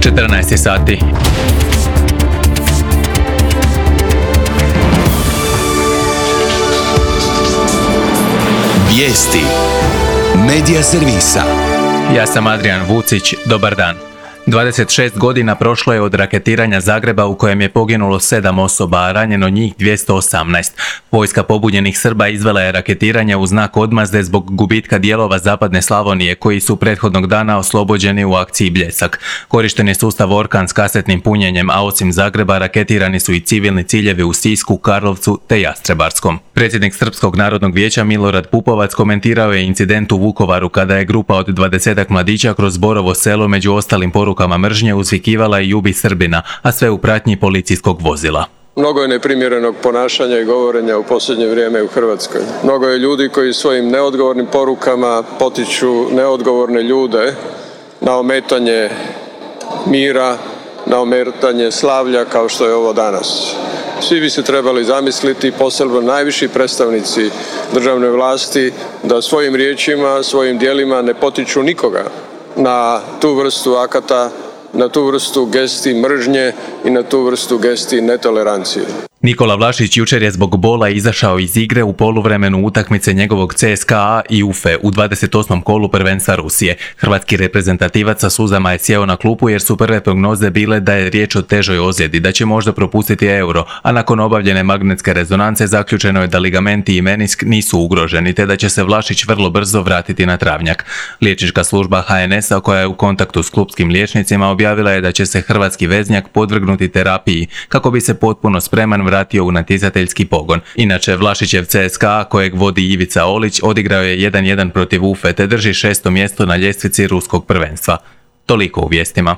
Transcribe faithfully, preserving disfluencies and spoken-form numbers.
četrnaest sati. Vijesti Medija servisa. Ja sam Adrian Vucić, dobar dan. dvadeset šest godina prošlo je od raketiranja Zagreba u kojem je poginulo sedam osoba, a ranjeno njih dvjesto osamnaest. Vojska pobunjenih Srba izvela je raketiranje u znak odmazde zbog gubitka dijelova zapadne Slavonije koji su prethodnog dana oslobođeni u akciji Bljesak. Korišten je sustav Orkan s kasetnim punjenjem, a osim Zagreba raketirani su i civilni ciljevi u Sisku, Karlovcu te Jastrebarskom. Predsjednik Srpskog narodnog vijeća Milorad Pupovac komentirao je incident u Vukovaru kada je grupa od dvadesetak mladića kroz Borovo selo među ostalim porukama mržnje uzvikivala i ubi Srbina, a sve u pratnji policijskog vozila. Mnogo je neprimjerenog ponašanja i govorenja u posljednje vrijeme u Hrvatskoj. Mnogo je ljudi koji svojim neodgovornim porukama potiču neodgovorne ljude na ometanje mira, na ometanje slavlja kao što je ovo danas. Svi bi se trebali zamisliti, posebno najviši predstavnici državne vlasti, da svojim riječima, svojim djelima ne potiču nikoga na tu vrstu akata, na tu vrstu gesti mržnje i na tu vrstu gesti netolerancije. Nikola Vlašić jučer je zbog bola izašao iz igre u poluvremenu utakmice njegovog C S K A i U F E u dvadeset osmom kolu prvenstva Rusije. Hrvatski reprezentativac sa suzama je sjeo na klupu jer su prve prognoze bile da je riječ o težoj ozljedi, da će možda propustiti Euro, a nakon obavljene magnetske rezonance zaključeno je da ligamenti i menisk nisu ugroženi te da će se Vlašić vrlo brzo vratiti na travnjak. Liječnička služba H N S-a koja je u kontaktu s klupskim liječnicima objavila je da će se hrvatski veznjak podvrgnuti terapiji kako bi se potpuno spreman vratio u natjecateljski pogon. Inače, Vlašićev C S K A, kojeg vodi Ivica Olić, odigrao je jedan jedan protiv U F E te drži šesto mjesto na ljestvici ruskog prvenstva. Toliko u vijestima.